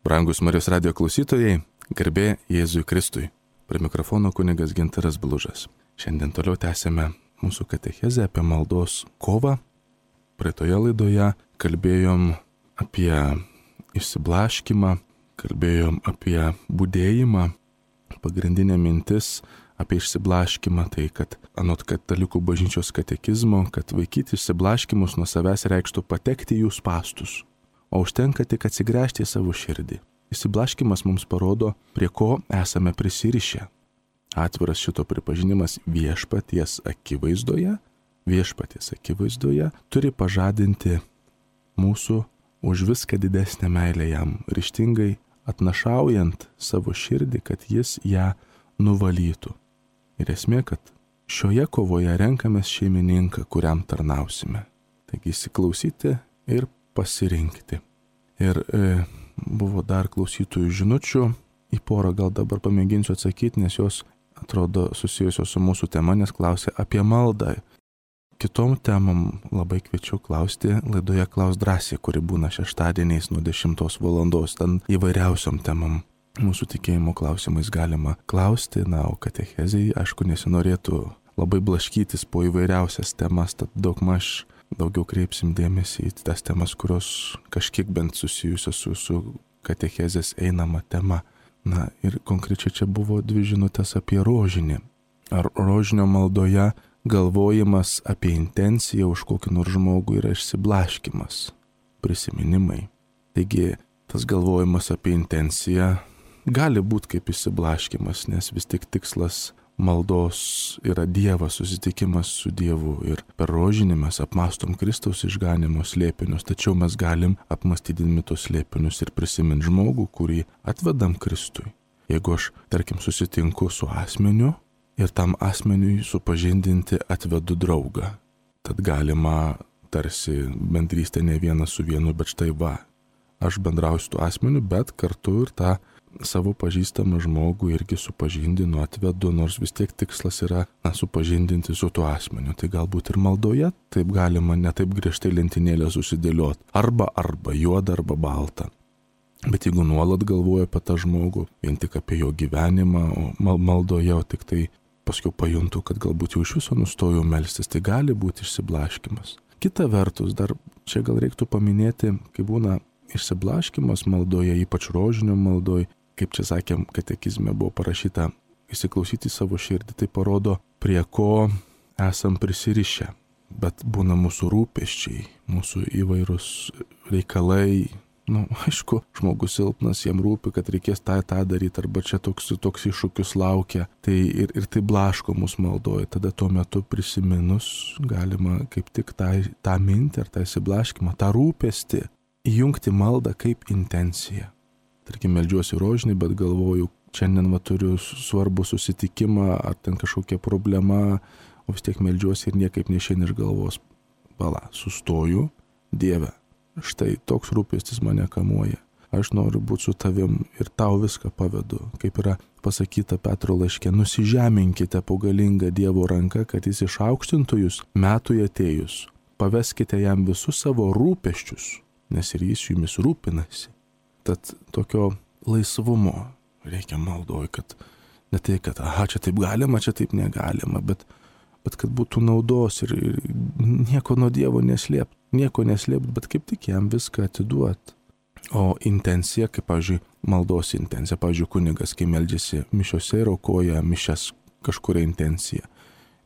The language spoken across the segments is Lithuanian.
Brangus Marijos radijo klausytojai, garbė Jėzui Kristui. Prie mikrofono kunigas Gintaras Blužas. Šiandien toliau tęsime mūsų katechezę apie maldos kovą. Praeitoje laidoje kalbėjom apie išsiblaškymą, kalbėjom apie budėjimą. Pagrindinė mintis apie išsiblaškymą tai, kad anot katalikų bažnyčios katekizmo, kad vaikyti išsiblaškymus nuo savęs reikštų patekti į jų spąstus, o užtenka tik atsigręžti į savo širdį. Išsiblaškymas mums parodo, prie ko esame prisirišę. Atviras šito pripažinimas viešpaties akivaizdoje turi pažadinti mūsų už viską didesnę meilę jam, ryžtingai atnašaujant savo širdį, kad jis ją nuvalytų. Ir esmė, kad šioje kovoje renkamės šeimininką, kuriam tarnausime. Taigi įsiklausyti ir pasirinkti. Ir buvo dar klausytojų žinučių, į porą gal dabar pamėginsiu atsakyti, nes jos atrodo susijusios su mūsų tema, nes klausė apie maldą. Kitom temom labai kviečiu klausti laidoje Klaus drąsiai, kuri būna šeštadieniais nuo 10 valandos. Ten įvairiausiom temom mūsų tikėjimo klausimais galima klausti, o katechezei, aišku, nesinorėtų labai blaškytis po įvairiausias temas, tad daugmaž daugiau kreipsim dėmesį į tas temas, kurios kažkiek bent susijusios su katechezės einama tema. Ir konkrečiai čia buvo 2 žinutės apie rožinį. Ar rožinio maldoje galvojimas apie intenciją už kokį nors žmogų yra išsiblaškymas, prisiminimai. Taigi, tas galvojimas apie intenciją gali būti kaip išsiblaškymas, nes vis tik tikslas maldos yra Dievas, susitikimas su Dievu ir per rožinį mes apmastom Kristaus išganimo slėpinius, tačiau mes galim apmastydami tos slėpinius ir prisiminti žmogų, kurį atvedam Kristui. Jeigu aš, tarkim, susitinku su asmeniu ir tam asmeniui supažindinti atvedu draugą, tad galima tarsi bendrystė ne vienas su vienu, bet štai aš bendrauju su tuo asmeniu, bet kartu ir tą savo pažįstamą žmogų irgi supažindinu, atvedu, nors vis tiek tikslas yra supažindinti su tuo asmeniu. Tai galbūt ir maldoje taip galima ne taip griežtai lentynėlę susidėlioti. Arba juoda, arba balta. Bet jeigu nuolat galvoju apie tą žmogų, vien tik apie jo gyvenimą, o maldoje, o tik tai paskui pajuntu, kad galbūt jau iš viso nustojau melstis, tai gali būti išsiblaškymas. Kita vertus, dar čia gal reiktų paminėti, kai būna išsiblaškymas maldoje, ypač rožinio maldoje, kaip čia sakėm, katekizme buvo parašyta, įsiklausyti savo širdį, tai parodo, prie ko esam prisirišę. Bet būna mūsų rūpesčiai, mūsų įvairūs reikalai. Aišku, žmogus silpnas, jam rūpi, kad reikės tą daryti, arba čia toks iššūkius laukia. Tai ir tai blaško mūsų maldoje. Tada tuo metu prisiminus galima kaip tik tą mintį ar tą įsiblaškymą, tą rūpestį įjungti maldą kaip intenciją. Tarkim, meldžiuosi rožinį, bet galvoju, šiandien turiu svarbų susitikimą, ar ten kažkokia problema, o vis tiek meldžiuosi ir niekaip neišeina iš galvos. Sustoju, Dieve, štai toks rūpestis mane kamuoja. Aš noriu būti su tavim ir tau viską pavedu. Kaip yra pasakyta Petro laiške, nusižeminkite po galingą Dievo ranką, kad jis išaukštintų jūs metui atėjus. Paveskite jam visus savo rūpesčius, nes ir jis jumis rūpinasi. Tad tokio laisvumo reikia maldoj, kad ne tai, kad čia taip galima, čia taip negalima, bet kad būtų naudos ir nieko nuo Dievo neslėpt, bet kaip tik jam viską atiduot. O intencija, kaip, pavyzdžiui, maldos intencija, pavyzdžiui, kunigas, kai meldžiasi mišiose ir aukoja mišias kažkuria intencija,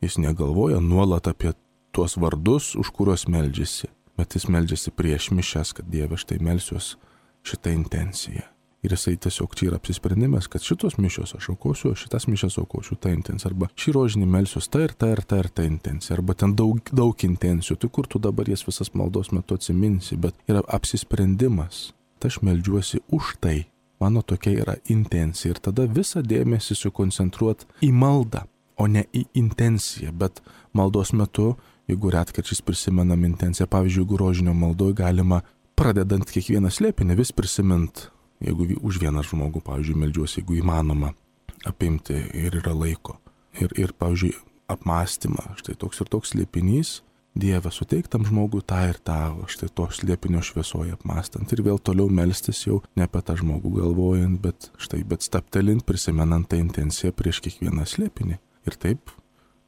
jis negalvoja nuolat apie tuos vardus, už kuriuos meldžiasi, bet jis meldžiasi prieš mišias, kad Dieve, štai melsiuos šitą intenciją. Ir jisai tiesiog čia yra apsisprendimas, kad šitos mišios aš aukosiu, šitas mišias aukosiu tą intenciją, arba šį rožinį melsiuos ta intencija, arba ten daug intencijų, tai kur tu dabar jas visas maldos metu atsiminsi, bet yra apsisprendimas, tai aš meldžiuosi už tai, mano tokia yra intencija, ir tada visą dėmesį sukoncentruot į maldą, o ne į intenciją, bet maldos metu, jeigu retkarčiais prisimenam intenciją, pavyzdžiui, jeigu rožinio maldoj galima pradedant kiekvieną slėpinį vis prisimint, jeigu už vieną žmogų, pavyzdžiui, meldžiuosi, jeigu įmanoma apimti ir yra laiko. Ir pavyzdžiui, apmąstymą, štai toks ir toks slėpinys, Dieve, suteik tam žmogui tą ir tą, štai to slėpinio šviesoje apmastant ir vėl toliau melstis jau ne apie tą žmogų galvojant, bet staptelint, prisimenant tą intenciją prieš kiekvieną slėpinį. Ir taip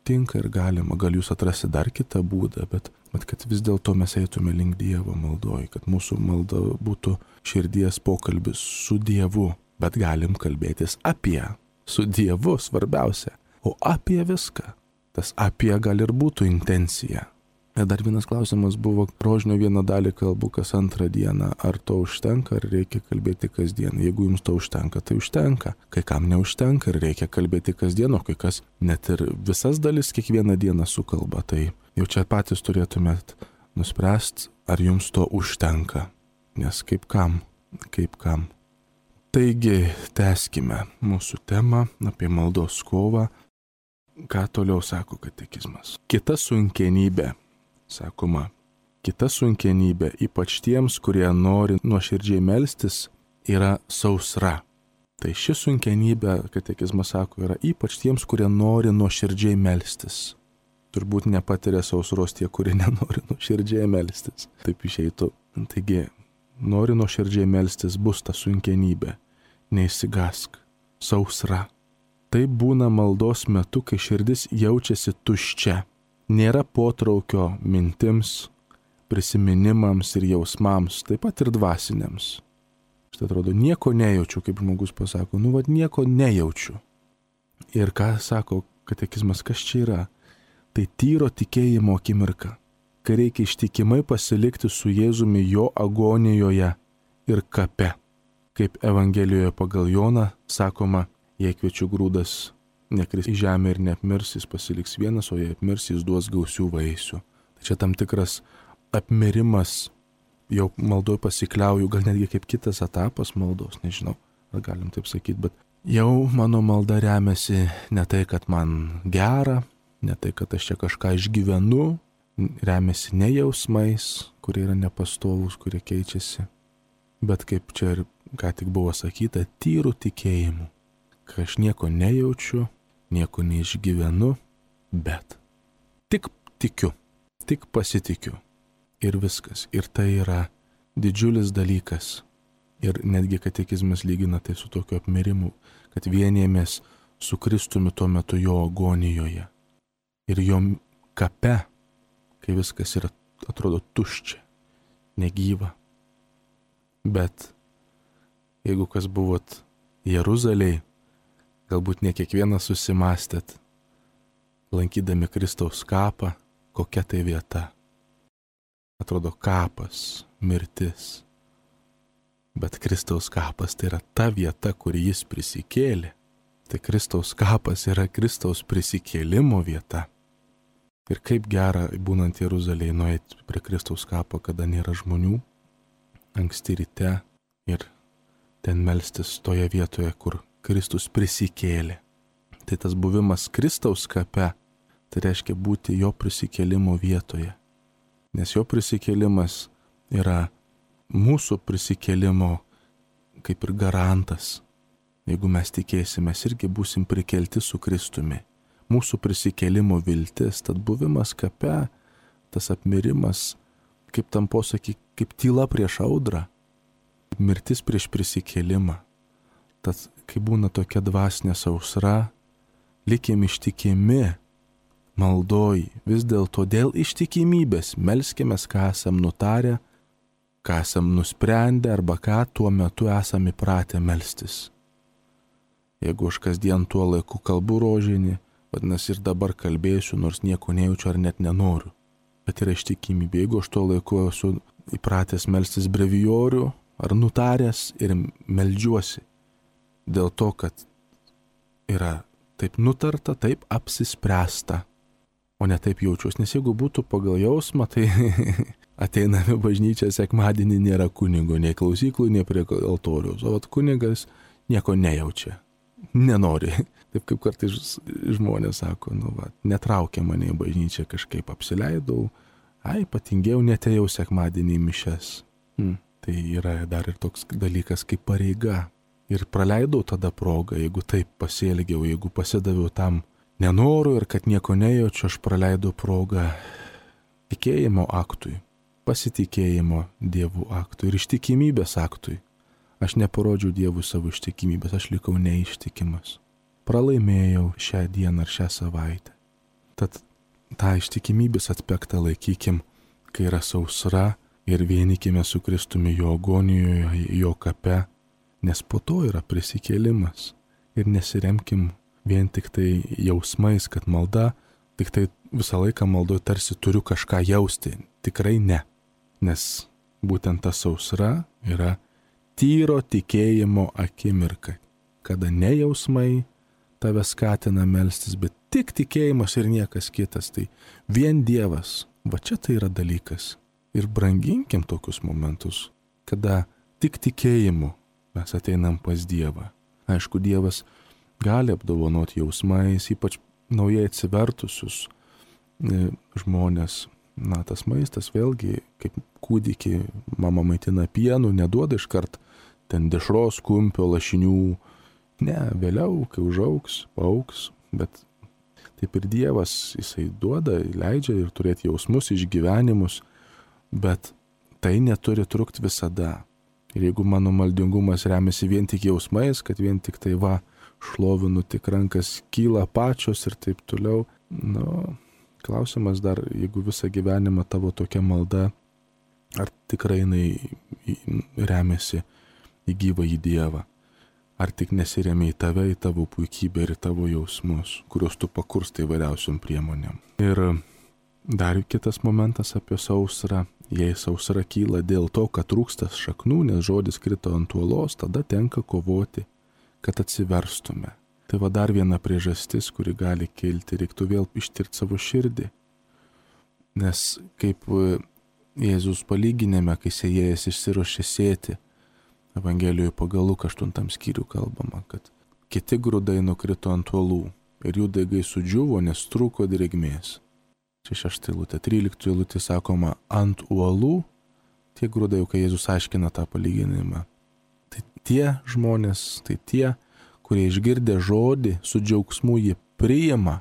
tinka ir galima, gal jūs atrasti dar kitą būdą, bet kad vis dėlto mes eitume link Dievo maldoj, kad mūsų malda būtų širdies pokalbis su Dievu, bet galim kalbėtis su Dievu svarbiausia, o apie viską. Tas apie gal ir būtų intencija. Ir dar vienas klausimas buvo, rožinio vieną dalį kalbu kas antrą dieną, ar to užtenka, ar reikia kalbėti kasdien. Jeigu jums to užtenka, tai užtenka. Kai kam neužtenka ir reikia kalbėti kasdien, o kai kas net ir visas dalis kiekvieną dieną sukalba. Tai jau čia patys turėtumėt nuspręsti, ar jums to užtenka. Nes kaip kam. Taigi, tęskime mūsų temą apie maldos kovą. Ką toliau sako katekizmas? Kita sunkenybė. Sakoma, kita sunkenybė, ypač tiems, kurie nori nuoširdžiai melstis, yra sausra. Tai ši sunkenybė, katekizmas sako, yra ypač tiems, kurie nori nuoširdžiai melstis. Turbūt nepatiria sausros tie, kurie nenori nuoširdžiai melstis. Taip išeitų. Taigi, nori nuoširdžiai melstis, bus ta sunkenybė. Neįsigask. Sausra. Tai būna maldos metu, kai širdis jaučiasi tuščia. Nėra potraukio mintims, prisiminimams ir jausmams, taip pat ir dvasiniams. Štai atrodo, nieko nejaučiu, kaip žmogus pasako, nieko nejaučiu. Ir ką sako katekizmas, kas čia yra? Tai tyro tikėjimo akimirka, kai reikia ištikimai pasilikti su Jėzumi jo agonijoje ir kape. Kaip Evangelijoje pagal Joną sakoma, jei kviečių grūdas nekris į žemę ir neapmirs, jis pasiliks vienas, o jei apmirs, jis duos gausių vaisių. Tai čia tam tikras apmirimas, jau maldoj pasikliauju, gal netgi kaip kitas etapas maldos, nežinau, ar galim taip sakyti, bet jau mano malda remiasi ne tai, kad man gera, ne tai, kad aš čia kažką išgyvenu, remiasi ne jausmais, kurie yra nepastovūs, kurie keičiasi, bet kaip čia ir ką tik buvo sakyta, tyrų tikėjimu, kai aš nieko nejaučiu, nieko neišgyvenu, bet tik tikiu, tik pasitikiu ir viskas. Ir tai yra didžiulis dalykas. Ir netgi katekizmas lygina tai su tokiu apmirimu, kad vienėmės su Kristumi tuo metu jo agonijoje. Ir jo kape, kai viskas yra, atrodo, tuščia, negyva. Bet jeigu kas buvot Jeruzalėj, galbūt ne kiekvienas susimastėt, lankydami Kristaus kapą, kokia tai vieta. Atrodo kapas, mirtis. Bet Kristaus kapas tai yra ta vieta, kur jis prisikėlė. Tai Kristaus kapas yra Kristaus prisikėlimo vieta. Ir kaip gera, būnant Jeruzalėje, nueiti prie Kristaus kapo, kada nėra žmonių, anksti ryte ir ten melstis toje vietoje, kur Kristus prisikėlė. Tai tas buvimas Kristaus kape, tai reiškia būti jo prisikėlimo vietoje. Nes jo prisikėlimas yra mūsų prisikėlimo kaip ir garantas. Jeigu mes tikėsimės, irgi būsim prikelti su Kristumi. Mūsų prisikėlimo viltis, tad buvimas kape, tas apmirimas, kaip tam posakį, kaip tyla prieš audrą, mirtis prieš prisikėlimą. Tad, kai būna tokia dvasinė sausra, likim ištikimi maldoj, vis dėlto dėl ištikimybės melskimės, ką esam nutarę, ką esam nusprendę arba ką tuo metu esam įpratę melstis. Jeigu aš kasdien tuo laiku kalbu rožinį, vadinasi ir dabar kalbėsiu, nors nieko nejaučiu ar net nenoriu. Bet yra ištikimybė. Jeigu aš tuo laiku esu įpratęs melstis brevijorių ar nutaręs ir meldžiuosi, dėl to, kad yra taip nutarta, taip apsispręsta, o ne taip jaučiuosi. Nes jeigu būtų pagal jausmą, tai ateiname bažnyčią sekmadienį, nėra kunigo, nei klausyklų, nei prie altoriaus. O kunigas nieko nejaučia, nenori. Taip kaip kartais žmonės sako, netraukia mane į bažnyčią, kažkaip apsileidau, patingėjau, netėjau sekmadienį į mišias. Tai yra dar ir toks dalykas kaip pareiga. Ir praleidau tada progą, jeigu taip pasielgiau, jeigu pasidaviau tam nenoru ir kad nieko nejaučiu, aš praleidau progą tikėjimo aktui, pasitikėjimo Dievu aktui ir ištikimybės aktui. Aš neparodžiau Dievui savo ištikimybės, aš likau neištikimas. Pralaimėjau šią dieną ar šią savaitę. Tad tą ištikimybės aspektą laikykim, kai yra sausra ir vienykime su Kristumi jo agonijoje, jo kape, nes po to yra prisikėlimas. Ir nesiremkim vien tik tai jausmais, kad malda, tik tai visą laiką maldoje tarsi turiu kažką jausti. Tikrai ne. Nes būtent ta sausra yra tyro tikėjimo akimirka, kada ne jausmai tave skatina melstis, bet tik tikėjimas ir niekas kitas. Tai vien Dievas, va čia tai yra dalykas. Ir branginkim tokius momentus, kada tik tikėjimu mes ateinam pas Dievą. Aišku, Dievas gali apdovanoti jausmais, ypač naujai atsivertusius žmonės. Na, tas maistas vėlgi, kaip kūdikį mama maitina pienu, neduoda iškart ten dešros, kumpio, lašinių. Ne, vėliau, kai užaugs, paaugs, bet taip ir Dievas, jisai duoda, leidžia ir turėti jausmus, išgyvenimus, bet tai neturi trukti visada. Ir jeigu mano maldingumas remiasi vien tik jausmais, kad vien tik tai šlovinu, tik rankas kyla pačios ir taip toliau, klausimas dar, jeigu visą gyvenimą tavo tokia malda, ar tikrai jinai remiasi į gyvą į Dievą, ar tik nesiremia į tave, į tavo puikybę ir į tavo jausmus, kuriuos tu pakurstai įvairiausiom priemonėm. Ir dar kitas momentas apie sausrą. Jei sausra kyla dėl to, kad trūksta šaknų, nes žodis krito ant uolos, tada tenka kovoti, kad atsiverstume. Tai va dar viena priežastis, kuri gali kilti, reiktų vėl ištirti savo širdį. Nes kaip Jėzus palyginime, kai sėjėjas išsiruošė sėti, Evangelijoje pagal Luką 8 skyrių kalbama, kad kiti grūdai nukrito ant uolų ir jų daigai sudžiuvo, nes trūko drėgmės. Čia 6 eilutė, 13 eilutė sakoma, ant uolų tie grūdai, kai Jėzus aiškina tą palyginimą. Tai tie žmonės, tai tie, kurie išgirdę žodį su džiaugsmu jį priima,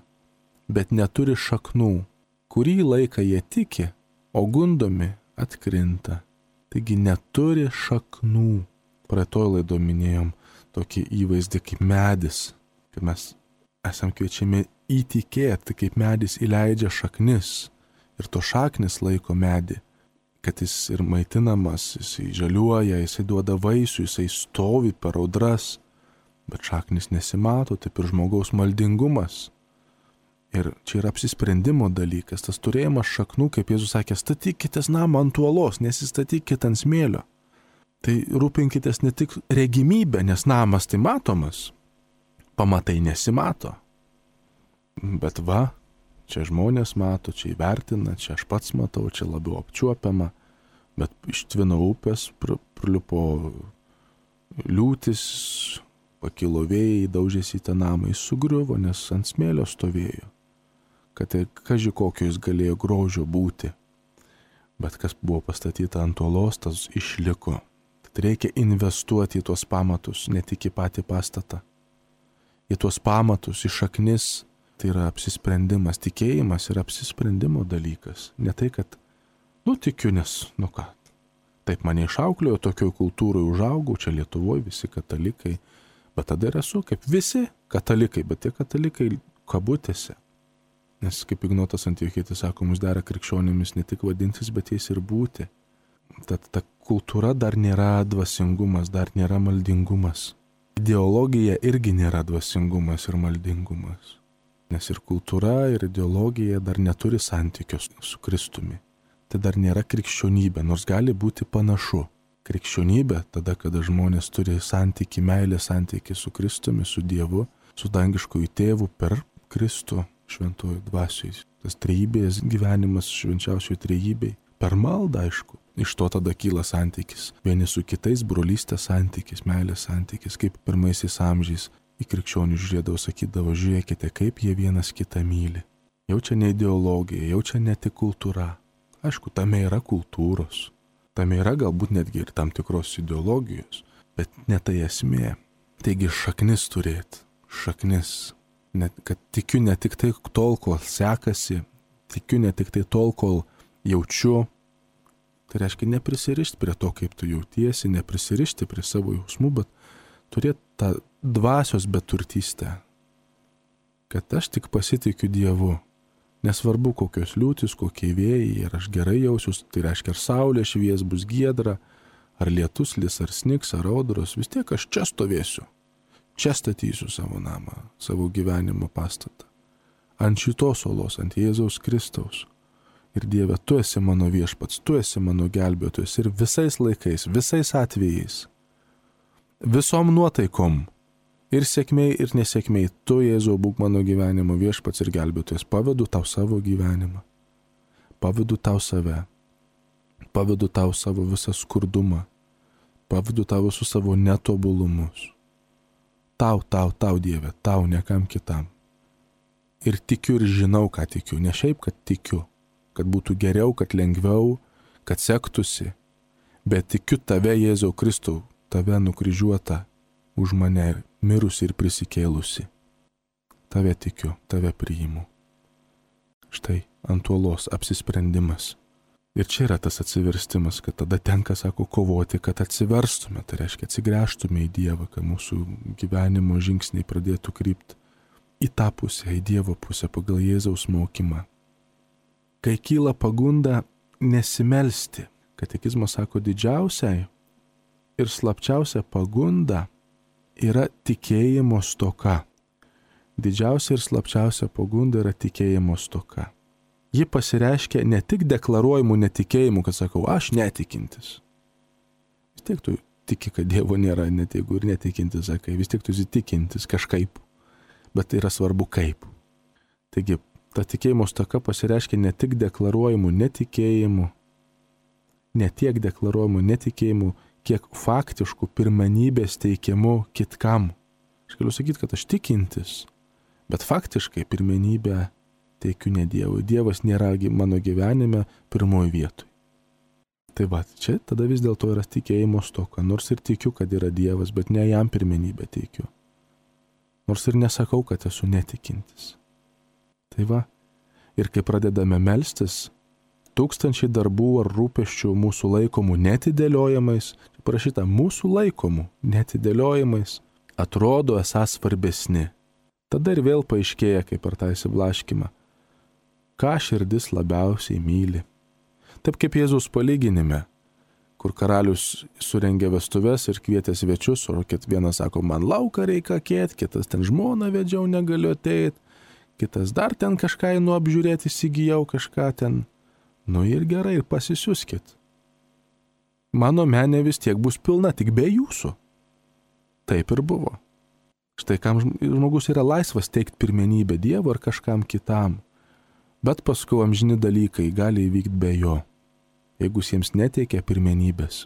bet neturi šaknų. Kurį laiką jie tiki, o gundomi atkrinta. Taigi neturi šaknų. Praeitoj laido minėjom tokį įvaizdį kaip medis, kad mes esam kviečiami įtikėti, kaip medis įleidžia šaknis ir to šaknis laiko medį, kad jis ir maitinamas, jisai žaliuoja, jisai duoda vaisių, jisai stovi per audras. Bet šaknis nesimato, taip ir žmogaus maldingumas. Ir čia yra apsisprendimo dalykas, tas turėjimas šaknų, kaip Jėzus sakė, statykitės namą ant uolos, nesistatykite ant smėlio. Tai rūpinkitės ne tik regimybę, nes namas tai matomas, pamatai nesimato. Bet čia žmonės mato, čia įvertina, čia aš pats matau, čia labiau apčiuopiama, bet iš Tvino upės prilipo liūtis, pakilo vėjai, daužėsi į tą namą, jis sugriuvo, nes ant smėlio stovėjo. Kad kaži kokio jis galėjo grožio būti. Bet kas buvo pastatyta ant uolos, tas išliko. Tad reikia investuoti į tuos pamatus, ne tik į patį pastatą. Į tuos pamatus, į šaknis, tai yra apsisprendimas. Tikėjimas yra apsisprendimo dalykas. Ne tai, kad, tikiu, nes, ką. Taip mane išauklėjo, tokioj kultūrai užaugau, čia Lietuvoje visi katalikai. Bet tada ir esu kaip visi katalikai, bet tie katalikai kabutėse. Nes kaip Ignotas Antiochietis sako, mums dera krikščionimis ne tik vadintis, bet jais ir būti. Tad ta kultūra dar nėra dvasingumas, dar nėra maldingumas. Ideologija irgi nėra dvasingumas ir maldingumas. Nes ir kultūra, ir ideologija dar neturi santykios su Kristumi. Tai dar nėra krikščionybė, nors gali būti panašu. Krikščionybė, tada, kada žmonės turi santykį, meilę santykį su Kristumi, su Dievu, su dangiškoju tėvu per Kristų šventojo dvasioj. Tas trejybės gyvenimas švenčiausioj trejybei. Per maldą, aišku. Iš to tada kyla santykis. Vieni su kitais brolystės santykis, meilės santykis, kaip pirmaisiais amžiais į krikščionių žiūrėdavo, sakydavo, žiūrėkite, kaip jie vienas kitą myli. Jau čia ne ideologija, jau čia ne tik kultūra. Aišku, tame yra kultūros. Tame yra galbūt netgi ir tam tikros ideologijos, bet ne tai esmė. Taigi šaknis turėti, šaknis. Kad tikiu ne tik tai tol, kol sekasi, tikiu ne tik tai tol, kol jaučiu. Tai reiškia neprisirišti prie to, kaip tu jautiesi, neprisirišti prie savo jausmų, bet turėti tą dvasios beturtystę. Kad aš tik pasitikiu Dievu. Nesvarbu, kokios liūtis, kokie vėjai, ir aš gerai jausiuos, tai reiškia, ar saulė švies, bus giedra, ar lietus lis, ar snigs, ar audros, vis tiek aš čia stovėsiu. Čia statysiu savo namą, savo gyvenimo pastatą. Ant šitos olos, ant Jėzaus Kristaus. Ir Dieve, tu esi mano viešpats, tu esi mano gelbėtojas ir visais laikais, visais atvejais, visom nuotaikom, ir sėkmei, ir nesėkmei, tu, Jėzau, būk mano gyvenimo viešpats ir gelbėtojas. Pavedu tau savo gyvenimą, pavedu tau save, pavedu tau savo visą skurdumą, pavedu tau visus savo netobulumus. Tau, Dieve, tau, nekam kitam. Ir tikiu ir žinau, ką tikiu, ne šiaip, kad tikiu, kad būtų geriau, kad lengviau, kad sektųsi, bet tikiu tave, Jėzau Kristau, tave nukryžiuotą už mane mirusi ir prisikėlusi. Tave tikiu, tave priimu. Štai ant uolos apsisprendimas. Ir čia yra tas atsiverstimas, kad tada tenka, sako, kovoti, kad atsiverstume, tai reiškia atsigręžtume į Dievą, kad mūsų gyvenimo žingsniai pradėtų krypti į tą pusę, į Dievo pusę pagal Jėzaus mokymą. Kai kyla pagunda nesimelsti, katekizmas sako, didžiausia ir slapčiausia pagunda yra tikėjimo stoka. Didžiausia ir slapčiausia pagunda yra tikėjimo stoka. Ji pasireiškia ne tik deklaruojamų netikėjimų, kad sakau, aš netikintis. Vis tiek tu tiki, kad Dievo nėra, net jeigu ir netikintis, sakai, vis tiek tu įsitikintis kažkaip, bet tai yra svarbu kaip. Taigi, ta tikėjimo stoka pasireiškia ne tik deklaruojamų netikėjimų, ne tiek deklaruojamų netikėjimų, kiek faktiškų pirmenybės teikiamų kitkam. Aš galiu sakyti, kad aš tikintis, bet faktiškai pirmenybę teikiu ne Dievui. Dievas nėra mano gyvenime pirmoji vietoj. Tai va, čia tada vis dėlto yra tikėjimo stoka, nors ir tikiu, kad yra Dievas, bet ne jam pirmenybę teikiu. Nors ir nesakau, kad esu netikintis. Tai va, ir kai pradedame melstis, tūkstančiai darbų ar rūpesčių mūsų laikomų netidėliojamais, parašyta mūsų laikomų netidėliojamais, atrodo esas svarbesni. Tada ir vėl paaiškėja, kaip per tą įsiblaškimą, ką širdis labiausiai myli. Taip kaip Jėzaus palyginime, kur karalius surengė vestuves ir kvietė svečius, o vienas sako, man lauką reikia kėt, kitas ten žmoną vedžiau, negaliu ateit, kitas dar ten kažką einu apžiūrėti, įsigijau kažką ten. Nu ir gerai, ir pasisiuskit. Mano menė vis tiek bus pilna, tik be jūsų. Taip ir buvo. Štai kam žmogus yra laisvas teikti pirmenybę Dievo ar kažkam kitam, bet paskui amžini dalykai gali įvykti be jo, jeigu jiems neteikia pirmenybės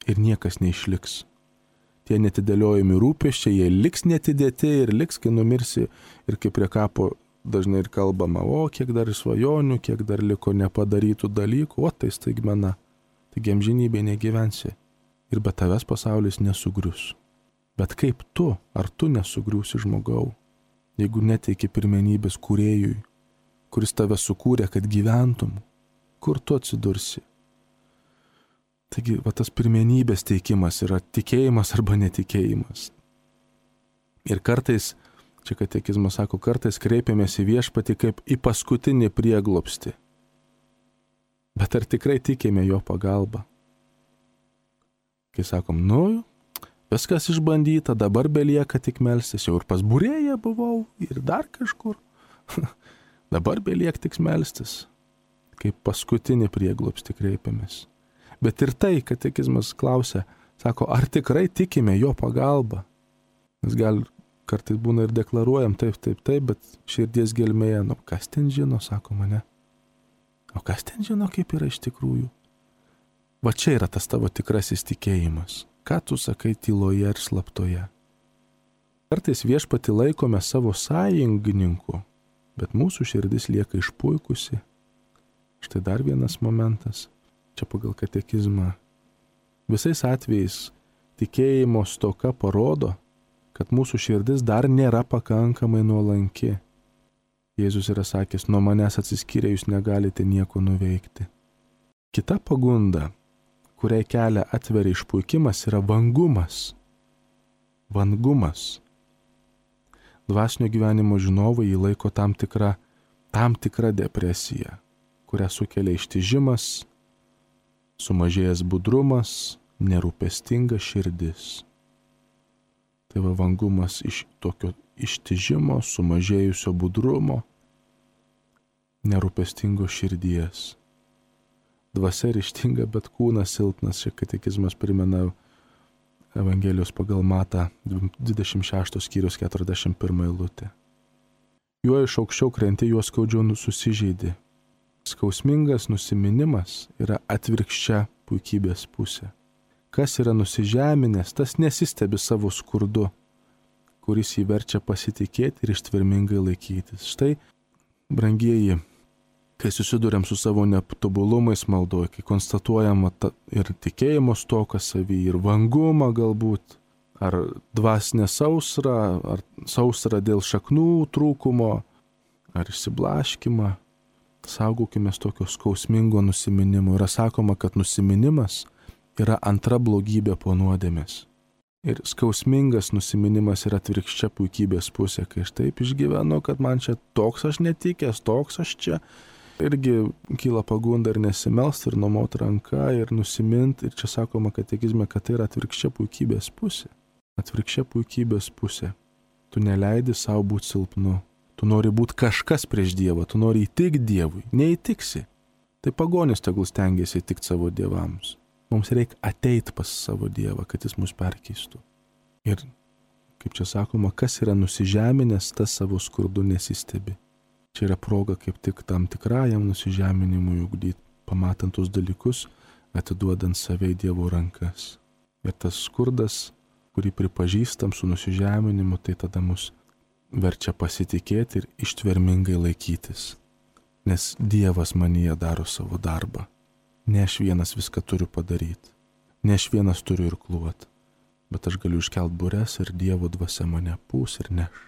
ir niekas neišliks. Tie netidėliojami rūpesčiai, jie liks netidėti ir liks, kai numirsi, ir kaip prie kapo dažnai ir kalbama, o kiek dar svajonių, kiek dar liko nepadarytų dalykų, o tai staigmena, taigi amžinybėje negyvensi ir be tavęs pasaulis nesugrius. Bet kaip tu, ar tu nesugriūsi žmogau, jeigu neteiki pirmenybės kūrėjui, kuris tave sukūrė, kad gyventum, kur tu atsidursi? Taigi, va, tas pirmenybės teikimas yra tikėjimas arba netikėjimas. Ir kartais, čia katekizmas sako, kartais kreipiamės į viešpatį kaip į paskutinį prieglobstį. Bet ar tikrai tikime jo pagalbą? Kai sakom, viskas išbandyta, dabar belieka tik melstis, jau ir pas būrėją buvau, ir dar kažkur. Dabar belieka tik melstis, kaip paskutinį prieglobstį kreipiamės. Bet ir tai, katekizmas klausia, sako, ar tikrai tikime jo pagalbą? Mes gal kartais būna ir deklaruojam taip, bet širdies gelmėje, kas ten žino, sako mane. O kas ten žino, kaip yra iš tikrųjų? Va čia yra tas tavo tikrasis tikėjimas. Ką tu sakai tyloje ir slaptoje? Kartais viešpatį laikome savo sąjungininku, bet mūsų širdis lieka išpuikusi. Štai dar vienas momentas, čia pagal katekizmą. Visais atvejais tikėjimo stoka parodo, kad mūsų širdis dar nėra pakankamai nuolanki. Jėzus yra sakęs, nuo manęs atsiskyrę jūs negalite nieko nuveikti. Kita pagunda, kuriai kelią atveria išpuikimas, yra vangumas. Vangumas. Dvasinio gyvenimo žinovai jį laiko tam tikra depresija, kurią sukelia ištižimas, sumažėjęs budrumas, nerūpestinga širdis. Tai va vangumas iš tokio ištižimo, sumažėjusio budrumo, nerūpestingo širdies. Dvasia ryžtinga, bet kūnas silpnas. Šia katekizmas primena Evangelijos pagal Matą 26 skyrius 41 eilutė. Juo iš aukščiau krenti, juo skaudžiau susižeidi. Skausmingas nusiminimas yra atvirkščia puikybės pusė. Kas yra nusižeminęs, tas nesistebi savo skurdu, kuris jį verčia pasitikėti ir ištvermingai laikytis. Štai, brangieji, kai susiduriam su savo netobulumais maldoje, kai konstatuojama ir tikėjimo stoką savy, ir vangumą galbūt, ar dvasinę sausrą, ar sausrą dėl šaknų trūkumo, ar išsiblaškimą, saugokime tokio skausmingo nusiminimo. Yra sakoma, kad nusiminimas yra antra blogybė po nuodėmės. Ir skausmingas nusiminimas yra atvirkščia puikybės pusė, kai aš taip išgyvenu, kad man čia toks aš netikęs, toks aš čia. Irgi kyla pagunda ir nesimelst, ir numot ranką, ir nusimint. Ir čia sakoma katekizme, kad tai yra atvirkščia puikybės pusė. Atvirkščia puikybės pusė. Tu neleidi savo būti silpnu. Tu nori būti kažkas prieš Dievą, tu nori įtikti Dievui. Neįtiksi. Tai pagonis tegul stengiasi įtikti savo dievams. Mums reikia ateiti pas savo Dievą, kad jis mus perkeistų. Ir, kaip čia sakoma, kas yra nusižeminęs, tas savo skurdu nesistebi. Čia yra proga kaip tik tam tikrajam nusižeminimui ugdyti, pamatant tus dalykus, atiduodant save į Dievo rankas. Ir tas skurdas, kurį pripažįstam su nusižeminimu, tai tada mus verčia pasitikėti ir ištvermingai laikytis. Nes Dievas manyje daro savo darbą. Ne aš vienas viską turiu padaryti. Ne aš vienas turiu irkluoti. Bet aš galiu iškelt bures ir Dievo dvasia mane pūs ir neš.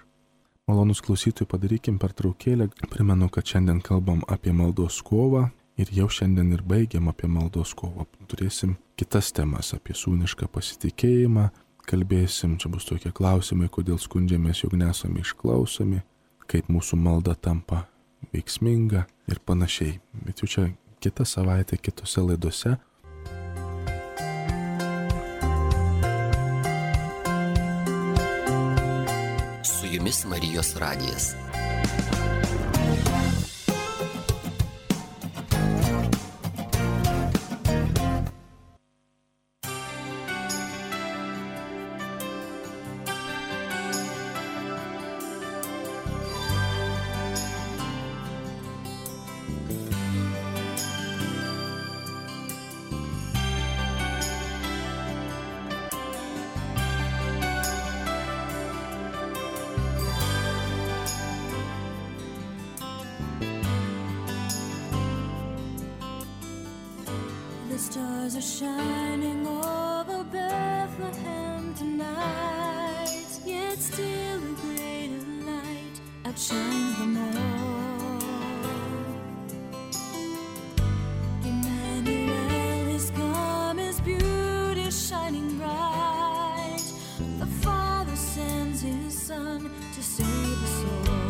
Malonus klausytojai, padarykim pertraukėlę. Primenu, kad šiandien kalbam apie maldos kovą ir jau šiandien ir baigiam apie maldos kovą. Turėsim kitas temas apie sūnišką pasitikėjimą. Kalbėsim, čia bus tokie klausimai, kodėl skundžiamės, jog nesame išklausomi, kaip mūsų malda tampa veiksminga ir panašiai. Bet jau čia kitą savaitę, kitose laidose. Su jumis Marijos radijas. The stars are shining over Bethlehem tonight, yet still a greater light outshines them all. Emmanuel has come, his beauty shining bright. The Father sends his Son to save us all.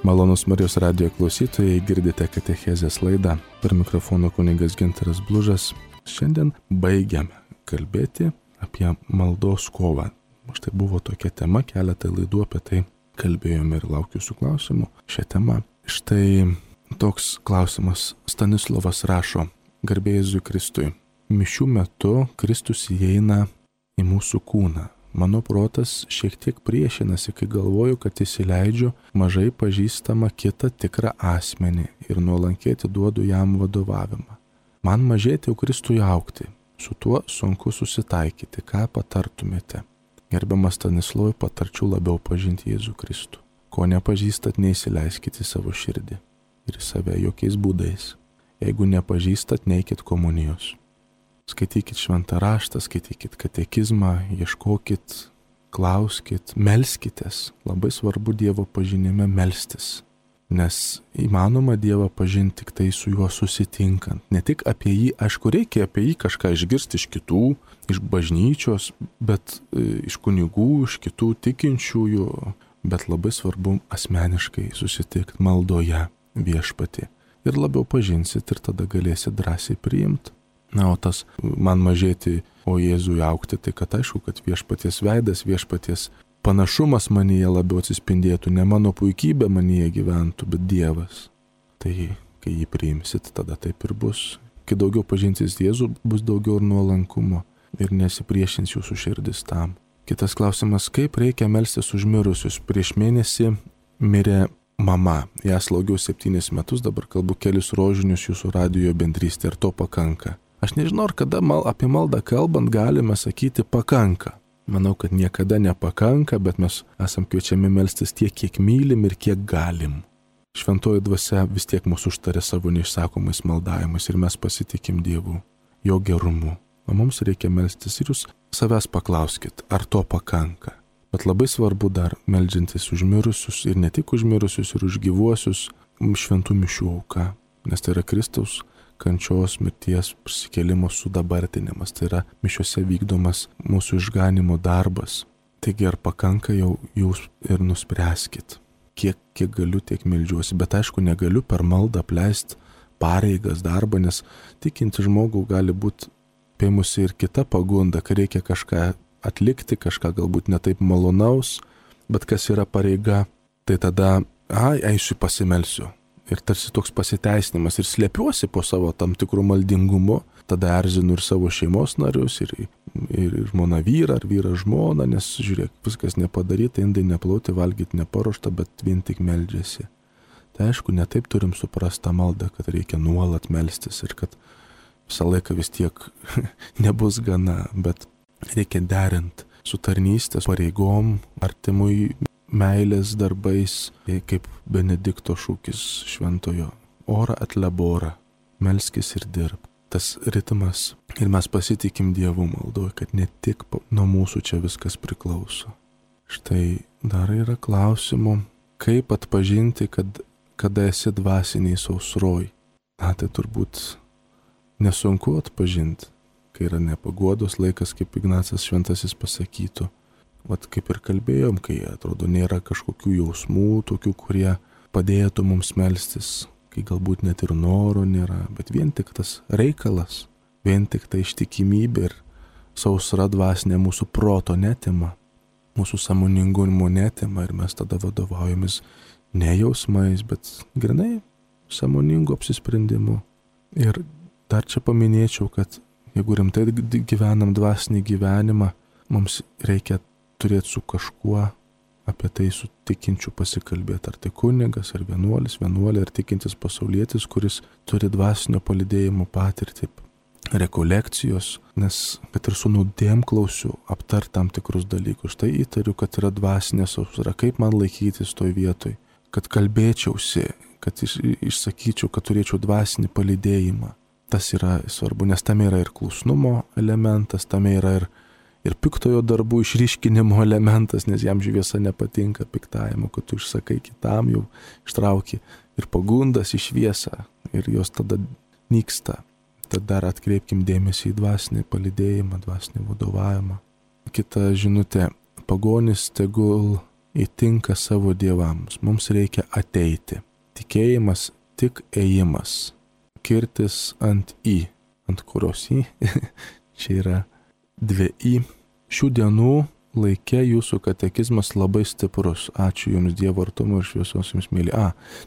Malonus Marijos radijo klausytojai, girdite katechezės laidą. Per mikrofoną kunigas Gintaras Blužas. Šiandien baigiame kalbėti apie maldos kovą. Štai buvo tokia tema, keletą laidų apie tai kalbėjome ir laukiu jūsų klausimų šią temą. Štai toks klausimas. Stanislovas rašo: Garbė Jėzui Kristui. Mišių metu Kristus įeina į mūsų kūną. Mano protas šiek tiek priešinasi, kai galvoju, kad įsileidžiu mažai pažįstamą kitą tikrą asmenį ir nuolankiai atiduodu jam vadovavimą. Man mažėti, o Kristui augti. Su tuo sunku susitaikyti. Ką patartumėte? Gerbiamas Stanislovai, patarčiau labiau pažinti Jėzų Kristų. Ko nepažįstat, neįsileiskite į savo širdį ir į save jokiais būdais. Jeigu nepažįstat, neikit komunijos. Skaitykit šventą raštą, skaitykit katekizmą, ieškokit, klauskit, melskitės. Labai svarbu Dievo pažinime melstis, nes įmanoma Dievą pažinti tik tai su juo susitinkant. Ne tik apie jį, aišku, reikia apie jį kažką išgirsti iš kitų, iš bažnyčios, bet iš kunigų, iš kitų tikinčiųjų, bet labai svarbu asmeniškai susitikti maldoje viešpatį. Ir labiau pažinsit ir tada galėsit drąsiai priimti. Na, o tas man mažėti, o Jėzui augti, tai kad aišku, kad viešpaties veidas, viešpaties panašumas manyje labiau atsispindėtų, ne mano puikybė manyje gyventų, bet Dievas. Tai kai jį priimsit, tada taip ir bus. Kai daugiau pažinsis Jėzų, bus daugiau ir nuolankumo ir nesipriešins jūsų širdis tam. Kitas klausimas: kaip reikia melstis už mirusius? Prieš mėnesį mirė mama. Ją slaugiau 7 metus, dabar kalbu kelius rožinius jūsų radijo bendrystė, ir to pakanka. Aš nežinau, ar kada apie maldą kalbant galime sakyti pakanka. Manau, kad niekada nepakanka, bet mes esam kviečiami melstis tiek, kiek mylim ir kiek galim. Šventoji dvasia vis tiek mūsų užtarė savo neišsakomais maldavimais ir mes pasitikim Dievu, jo gerumu. O mums reikia melstis ir jūs savęs paklauskit, ar to pakanka. Bet labai svarbu dar meldžiantis už mirusius ir ne tik už mirusius, ir už gyvuosius šventų mišių auka, nes tai yra Kristaus kančios, mirties, prisikėlimo sudabartinimas. Tai yra mišiuose vykdomas mūsų išganimo darbas. Taigi ar pakanka, jau jūs ir nuspręskit. Kiek galiu, tiek meldžiuosi. Bet aišku, negaliu per maldą apleisti pareigas, darbą, nes tikinti žmogų gali būti pėmusi ir kita pagunda, kai reikia kažką atlikti, kažką galbūt netaip malonaus, bet kas yra pareiga, tai tada, eisiu pasimelsiu. Ir tarsi toks pasiteisinimas ir slėpiuosi po savo tam tikrų maldingumu, tada erzinu ir savo šeimos narius, ir žmona vyrą, ar vyrą žmoną, nes žiūrėk, viskas nepadaryta, indai neplauti, valgyti neparuošta, bet vien tik meldžiasi. Tai aišku, netaip turim suprasti tą maldą, kad reikia nuolat melstis ir kad visą laiką vis tiek nebus gana, bet reikia derinti su tarnystės pareigom, artimui meilės darbais, kaip Benedikto šūkis šventojo: ora et labora, melskis ir dirb. Tas ritmas, ir mes pasitikim Dievu maldoj, kad ne tik nuo mūsų čia viskas priklauso. Štai dar yra klausimų, kaip atpažinti, kada esi dvasiniai sausroj. Na, tai turbūt nesunku atpažinti, kai yra nepaguodos laikas, kaip Ignacas Šventasis pasakytų. Vat kaip ir kalbėjom, kai atrodo nėra kažkokių jausmų, tokių, kurie padėtų mums melstis, kai galbūt net ir noro nėra, bet vien tik tas reikalas, vien tik ta ištikimybė ir sausra dvasinė mūsų proto netima, mūsų sąmoningumo netima ir mes tada vadovaujamės ne jausmais, bet grinai sąmoningu apsisprendimu. Ir dar čia paminėčiau, kad jeigu rimtai gyvenam dvasinį gyvenimą, mums reikia turėti su kažkuo apie tai su tikinčiu pasikalbėti. Ar tai kunigas, ar vienuolė, ar tikintis pasaulietis, kuris turi dvasinio palydėjimo patirtį, rekolekcijos, nes kad ir su nuodėmklausiu aptart tam tikrus dalykus. Tai įtariu, kad yra dvasinė sausra. Kaip man laikytis toj vietoj? Kad kalbėčiausi, kad išsakyčiau, kad turėčiau dvasinį palydėjimą. Tas yra svarbu, nes tame yra ir klusnumo elementas, tame yra ir piktojo darbų išryškinimo elementas, nes jam šviesa nepatinka piktajimo, kad tu išsakai kitam, jau ištrauki ir pagundas į šviesą ir jos tada nyksta. Tad dar atkreipkim dėmesį į dvasinį palydėjimą, dvasinį vadovavimą. Kita žinutė: pagonis tegul įtinka savo dievams. Mums reikia ateiti. Tikėjimas tik ėjimas. Kirtis ant į. Ant kurios į? Čia yra 2 į. Šių dienų laikė jūsų katekizmas labai stiprus. Ačiū Jums Dievo artumo ir šviesos Jums myli.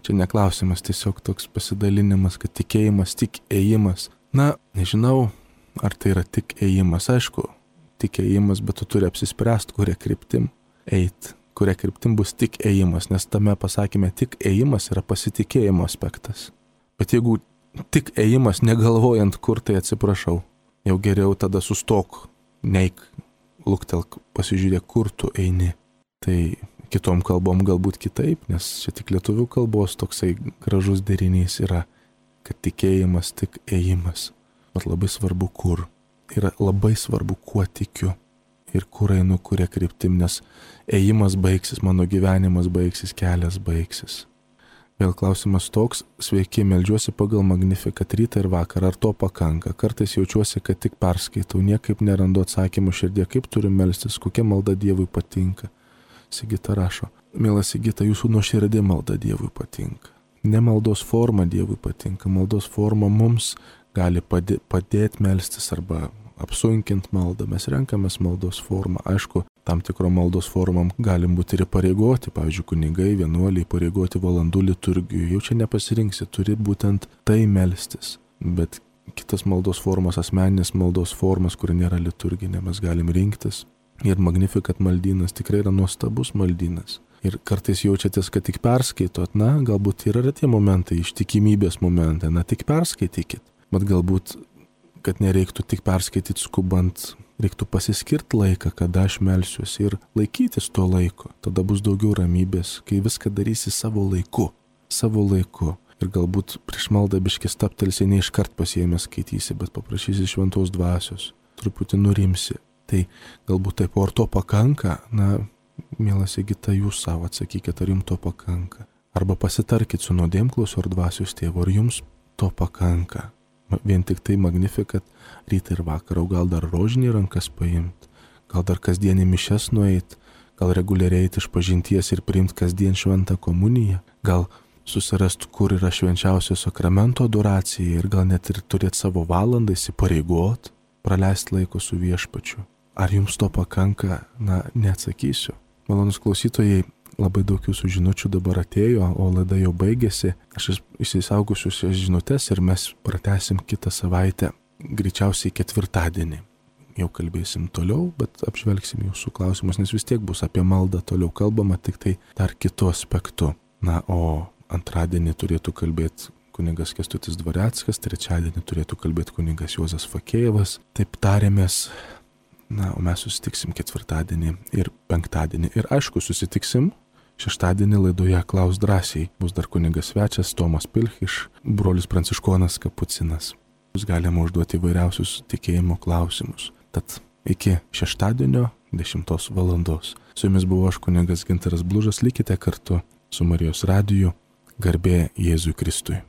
Čia neklausimas, tiesiog toks pasidalinimas, kad tikėjimas tik ėjimas. Na, nežinau, ar tai yra tik ėjimas. Aišku, tik ėjimas, bet tu turi apsispręsti, kuria kryptim eit. Kuria kryptim bus tik ėjimas, nes tame pasakymė tik ėjimas yra pasitikėjimo aspektas. Bet jeigu tik ėjimas negalvojant, kur, tai atsiprašau, jau geriau tada sustok, neik, luktelk, pasižiūrėk, kur tu eini. Tai kitom kalbom galbūt kitaip, nes čia tik lietuvių kalbos toksai gražus derinys yra, kad tikėjimas tik ėjimas. Bet labai svarbu kur. Yra labai svarbu, kuo tikiu. Ir kur einu, kuria kryptim, nes ėjimas baigsis, mano gyvenimas baigsis, kelias baigsis. Vėl klausimas toks, sveiki, meldžiuosi pagal Magnificat rytą ir vakarą, ar to pakanka? Kartais jaučiuosi, kad tik perskaitau, niekaip nerandu atsakymų širdie, kaip turiu melstis, kokia malda Dievui patinka. Sigita rašo, mielas Sigita, jūsų nuoširdė malda Dievui patinka. Ne maldos forma Dievui patinka, maldos forma mums gali padėti melstis arba apsunkint maldą, mes renkamės maldos formą. Aišku, tam tikro maldos formam galim būti ir pareigoti, pavyzdžiui, kunigai, vienuoliai pareigoti valandų liturgijų, jau čia nepasirinksi, turi būtent tai melstis. Bet kitas maldos formas, asmeninės maldos formas, kuri nėra liturginė, mes galim rinktis. Ir Magnificat maldynas tikrai yra nuostabus maldynas. Ir kartais jaučiatės, kad tik perskaitot, na, galbūt yra tie momentai, ištikimybės momentai, na, tik perskaitykit. Bet galbūt kad nereiktų tik perskaityti skubant, reiktų pasiskirti laiką, kada aš melsiuosi ir laikytis to laiko. Tada bus daugiau ramybės, kai viską darysi savo laiku. Savo laiku. Ir galbūt prieš maldą biškį staptelsi, ne iškart pasiėmęs skaitysi, bet paprašysi šventos dvasios. Truputį nurimsi. Tai galbūt taip, ar to pakanka? Na, mielas Sigita, jūs savo atsakykite, ar jums to pakanka. Arba pasitarkit su nuodėmklausiu ar dvasios tėvu, ar jums to pakanka. Vien tik tai Magnificat rytą ir vakarą, gal dar rožinį rankas paimti, gal dar kasdienį mišes nueit, gal reguliariai eiti išpažinties ir priimti kasdien šventą komuniją, gal susirasti, kur yra švenčiausio sakramento adoracija ir gal net ir turėti savo valandą, įsipareigot, praleisti laiko su viešpačiu. Ar jums to pakanka? Na, neatsakysiu. Malonus klausytojai, labai daug jūsų žinučių dabar atėjo, o laida jau baigėsi. Aš įsisaugosiu šias žinutes ir mes pratęsim kitą savaitę, greičiausiai ketvirtadienį. Jau kalbėsim toliau, bet apžvelgsim jūsų klausimus, nes vis tiek bus apie maldą toliau kalbama, tik tai dar kitu aspektu. Na, o antradienį turėtų kalbėti kunigas Kęstutis Dvareckas, trečiadienį turėtų kalbėti kunigas Juozas Fakėjevas. Taip tarėmės. Na, o mes susitiksim ketvirtadienį ir penktadienį. Ir aišku, susitiksim šeštadienį laidoje Klaus drąsiai. Bus dar kunigas svečias Tomas Pilch, brolis pranciškonas Kapucinas. Jūs galime užduoti įvairiausius tikėjimo klausimus. Tad iki šeštadienio 10 valandos. Su jumis buvo aš kunigas Gintaras Blužas. Likite kartu su Marijos radiju. Garbė Jėzui Kristui.